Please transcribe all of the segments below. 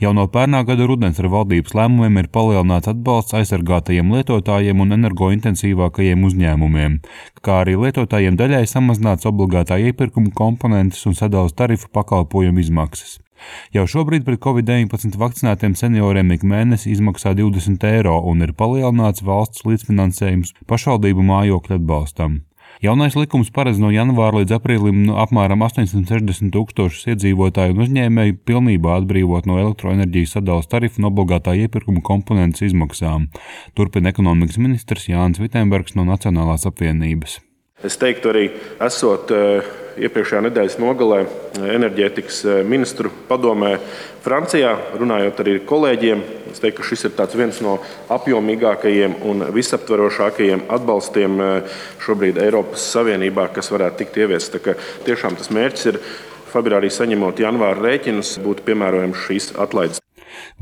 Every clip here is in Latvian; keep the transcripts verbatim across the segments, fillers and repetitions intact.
Jau no pērnā gada rudens ar valdības lēmumiem ir palielināts atbalsts aizsargātajiem lietotājiem un energointensīvākajiem uzņēmumiem, kā arī lietotājiem daļai samazināts obligātā iepirkuma komponentes un sadales tarifu pakalpojumu izmaksas. Jau šobrīd pret covid deviņpadsmit vakcinētiem senioriem ik mēnesi izmaksā divdesmit eiro un ir palielināts valsts līdzfinansējums pašvaldību mājokļu atbalstam. Jaunais likums paredz no janvāra līdz aprīlim no apmēram astoņsimt sešdesmit tūkstošus iedzīvotāju un uzņēmēju pilnībā atbrīvot no elektroenerģijas sadales tarifu un obligātā iepirkuma komponentes izmaksām, turpina ekonomikas ministrs Jānis Vitsenbergs no Nacionālās apvienības. Es teiktu arī, esot iepriekšējā nedēļas nogalē enerģētikas ministru padomē Francijā, runājot arī ar kolēģiem, es teiktu, ka šis ir tāds viens no apjomīgākajiem un visaptverošākajiem atbalstiem šobrīd Eiropas Savienībā, kas varētu tikt ieviests. Tā kā tiešām tas mērķis ir februārī saņemot janvāra rēķinus, būtu piemērojams šīs atlaides.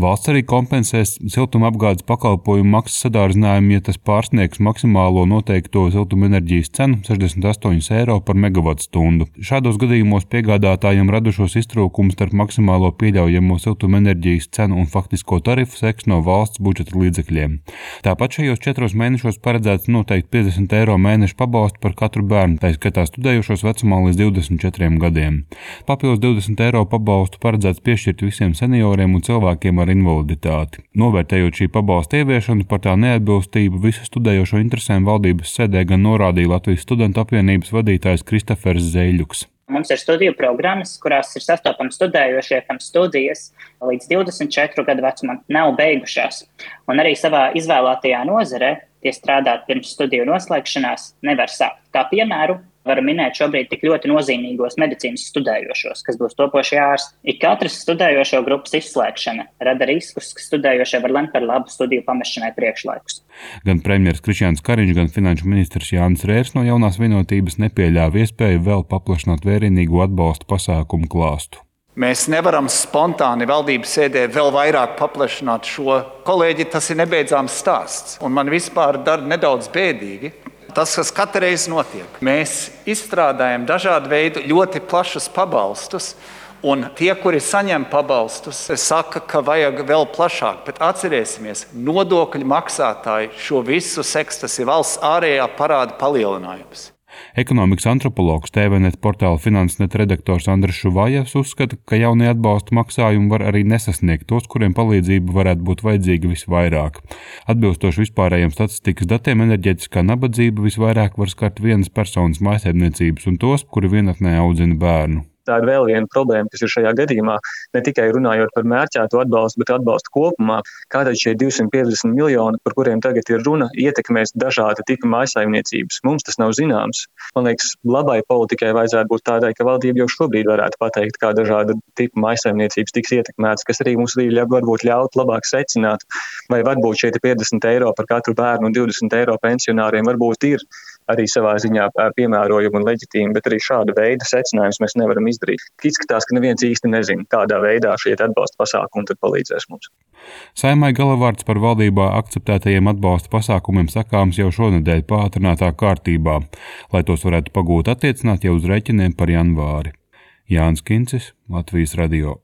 Valsts arī kompensēs siltumapgādes pakalpojumu maksas sadārdzinājumu, ja tas pārsniegs maksimālo noteikto siltumenerģijas cenu sešdesmit astoņus eiro par megavatstundu. Šādos gadījumos piegādātājiem radušos iztrūkumus starp maksimālo pieļaujamo siltumenerģijas cenu un faktisko tarifu seks no valsts budžeta līdzekļiem. Tāpat šajos četros mēnešos paredzēts noteikt piecdesmit eiro mēneša pabalstu par katru bērnu, tā skatā studējošos vecumā līdz divdesmit četriem gadiem. Papildus divdesmit eiro pabalstu paredzēts piešķirt visiem senioriem un cilvēkiem ar invaliditāti. Novērtējot šī pabalsta ieviešanu par tā neatbilstību visu studējošo interesēm valdības sēdē gan norādīja Latvijas studentu apvienības vadītājs Kristofers Zeļuks. Mums ir studiju programmas, kurās ir sastopami studējošie, kam studijas līdz divdesmit četru gadu vecumam nav beigušās. Un arī savā izvēlētajā nozarē tie strādāt pirms studiju noslēgšanās nevar sākt. Kā piemēru varu minēt šobrīd tik ļoti nozīmīgos medicīnas studējošos, kas būs topošie ārsti. Ik katras studējošo grupas izslēgšana rada riskus, ka studējošie var lemt par labu studiju pamešanai priekšlaikus. Gan premjers Krišjāns Kariņš, gan finanšu ministrs Jānis Rērs no Jaunās Vienotības nepieļāva iespēju vēl paplašināt vērienīgo atbalstu pasākumu klāstu. Mēs nevaram spontāni valdības sēdē vēl vairāk paplašināt šo. Kolēģi, tas ir nebeidzāms stāsts, un man vispār dara nedaudz bēdīgi. Tas, kas katru reizi notiek, mēs izstrādājam dažādu veidu ļoti plašus pabalstus, un tie, kuri saņem pabalstus, saka, ka vajag vēl plašāk, bet atcerēsimies, nodokļu maksātāji šo visu seks, tas ir valsts ārējā parāda palielinājums. Ekonomikas antropologs T V net portāla Finansnet redaktors Andris Šuvājevs uzskata, ka jaunie atbalsta maksājumi var arī nesasniegt tos, kuriem palīdzība varētu būt vajadzīga visvairāk. Atbilstoši vispārējiem statistikas datiem, enerģētiskā nabadzība visvairāk var skart vienas personas mājsaimniecības un tos, kuri vienatnē audzina bērnu. Tā ir vēl viena problēma, kas ir šajā gadījumā, ne tikai runājot par mērķēto atbalstu, bet atbalstu kopumā, kā tad šie divsimt piecdesmit miljoni, par kuriem tagad ir runa, ietekmēs dažāda tipa mājsaimniecības. Mums tas nav zināms. Man liekas, labai politikai vajadzētu būt tādai, ka valdība jau šobrīd varētu pateikt, kā dažāda tipa mājsaimniecības tiks ietekmētas, kas arī mums varbūt ļaut labāk secināt, vai varbūt šie piecdesmit eiro par katru bērnu un divdesmit eiro pensionāriem varbūt ir arī savā ziņā piemērojumi un leģitīmi, bet arī šāda veida secinājumus mēs nevaram izdarīt. Izskatās, ka neviens īsti nezina, kādā veidā šie atbalsta pasākumi tad palīdzēs mums. Saeimai galavārds par valdībā akceptētajiem atbalsta pasākumiem sakāms jau šonedēļ pātrinātā kārtībā, lai tos varētu pagūt attiecināt jau uz rēķiniem par janvāri. Jānis Kincis, Latvijas radio.